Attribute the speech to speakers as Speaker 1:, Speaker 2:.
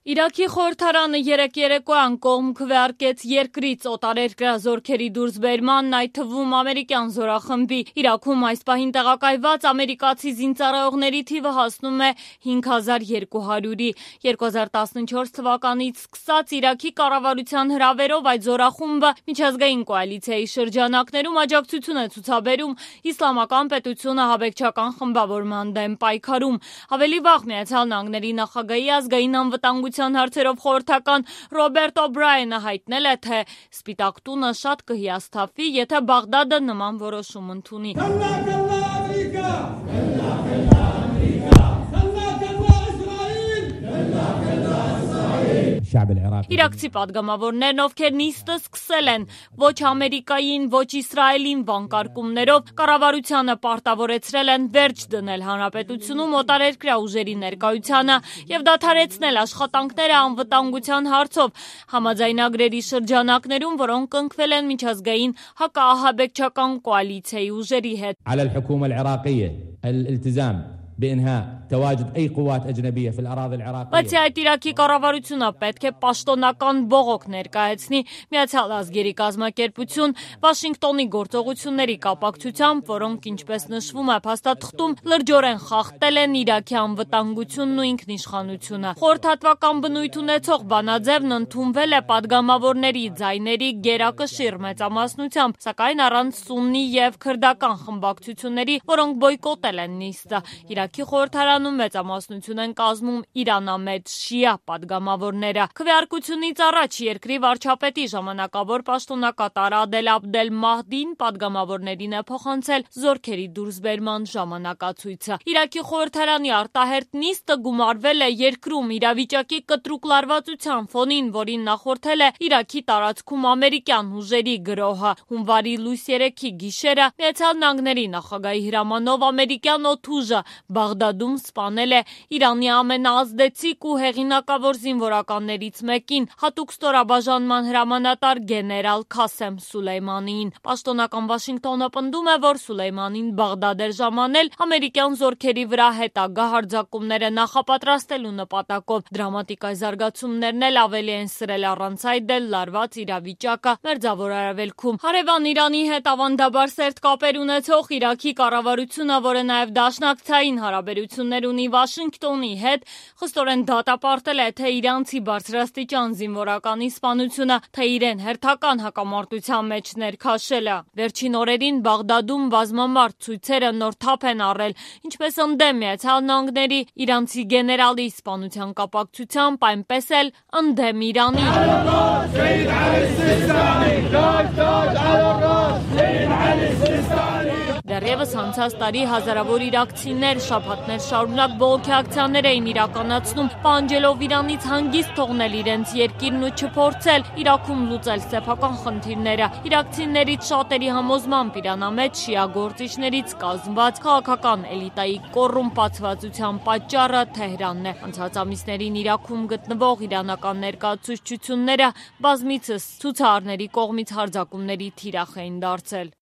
Speaker 1: Իրաքի խորհրդարանը երեկոյան կողմ քվեարկեց երկրից օտարերկրյա զորքերի դուրսբերմանն, այդ թվում ամերիկյան զորախմբի։ Իրաքում այս պահին տեղակայված ամերիկացի զինծառայողների թիվը հասնում է 5200-ի։ 2014 թվականից սկսած Իրաքի կառավարության հրավերով այդ զորախումբը միջազգային կոալիցիայի շրջանակներում աջակցություն է ցուցաբերում իսլամական պետությունը ահաբեկչական խմբավորման դեմ պայքարում։ Ավելի վաղ Միացյալ Նահանգների նախագահի ազգային անվտանգության հարցերով խորհրդական Ռոբերտ Օբրայենը հայտնել է, թե Սպիտակ տունը շատ կհիասթափվի, եթե Բաղդադը նման որոշում ընդունի։ Իրաքցի պատգամավորներն, ովքեր նիստը սկսել են ոչ Ամերիկային, ոչ Իսրայելին վանկարկումներով, կառավարությանը պարտավորեցրել են վերջ դնել հանրապետությունում օտարերկրյա ուժերի ներկայությանը և դադարեցնել աշխատանքները անվտանգության հարցով համաձայնագրերի շրջանակներում, որոնք կնքվել են միջազգային հակաահաբեկչական կոալիցիայի ուժերի հետ։ Բացի այդ, Իրաքի կառավարությունը պետք է պաշտոնական բողոք ներկայացնի Միացյալ ազգերի կազմակերպություն Վաշինգտոնի գործողությունների կապակցությամբ, որոնք, ինչպես նշվում է փաստաթղթում, լրջորեն խախտել են Իրաքի անվտանգությունն ու ինքնիշխանությունը։ Խորհրդատվական բնույթ ունեցող բանաձևն ընդունվել է պատգամավորների ձայների գերակշիռ մեծամասնությամբ, սակայն առանց սուննի և քրդական խմբակցությունների, որոնք բոյկոտել են նիստը։ Իրաքի խորհրդարանում մեծամասնություն են կազմում իրանամետ շիա պատգամավորները։ Քվեարկությունից առաջ երկրի վարչապետի ժամանակավոր պաշտոնակատար Ադել Աբդել Մահդին պատգամավորներին է փոխանցել զորքերի դուրսբերման ժամանակացույցը։ Իրաքի խորհրդարանի արտահերթ նիստը գումարվել է երկրում իրավիճակի կտրուկ լարվածության ֆոնին, որին նախորդել է Իրաքի տարածքում ամերիկյան ուժերի գրոհը։ Հունվարի լույս 3-ի գիշերը Միացյալ Նահանգների նախագահի հրամանով ամերիկյան օդուժը Բաղդադում սպանել է Իրանի ամենաազդեցիկ ու հեղինակավոր զինվորականներից մեկին, հատուկ ստորաբաժանման հրամանատար գեներալ Քասեմ Սուլեյմանիին։ Պաշտոնական Վաշինգտոնը պնդում է, որ Սուլեյմանին Բաղդադ էր ժամանել ամերիկյան զորքերի վրա հետագա հարձակումները նախապատրաստելու նպատակով։ Դրամատիկ այս զարգացումներն էլ ավելի են սրել առանց այդ էլ լարված իրավիճակը Մերձավոր Արևելքում։ Հարևան Իրանի հետ ավանդաբար սերտ կապեր ունեցող Իրաքի կառավարությունը, որը նաև դաշնակցային հարաբերություններ ունի Վաշինգտոնի հետ, խստորեն դատապարտել է թե իրանցի բարձրաստիճան զինվորականի սպանությունը, թե իրեն հերթական հակամարտության մեջ ներքաշելը։ Վերջին օրերին Բաղդադում բազմամարդ ցույցերը նոր թափ են առել, ինչպես ընդդեմ Միացյալ Նահանգների իրանցի գեներալի սպանության կապակցությամբ, այնպես էլ ընդդեմ Իրանի։ Դեռևս անցած տարի հազարավոր իրաքցիներ շաբաթներ շարունակ բողոքի ակցիաներ էին իրականացնում, պահանջելով Իրանից հանգիստ թողնել իրենց երկիրն ու չփորձել Իրաքում լուծել սեփական խնդիրները։ Իրաքցիներից շատերի համոզմամբ իրանամետ շիա գործիչներից կազմված քաղաքական էլիտայի կոռումպացվածության պատճառը Թեհրանն է։ Անցած ամիսներին Իրաքում գտնվող իրանական ներկայացուցչությունները բազմիցս ցուցարարների կողմից հարձակումների թիրախ էին դարձել։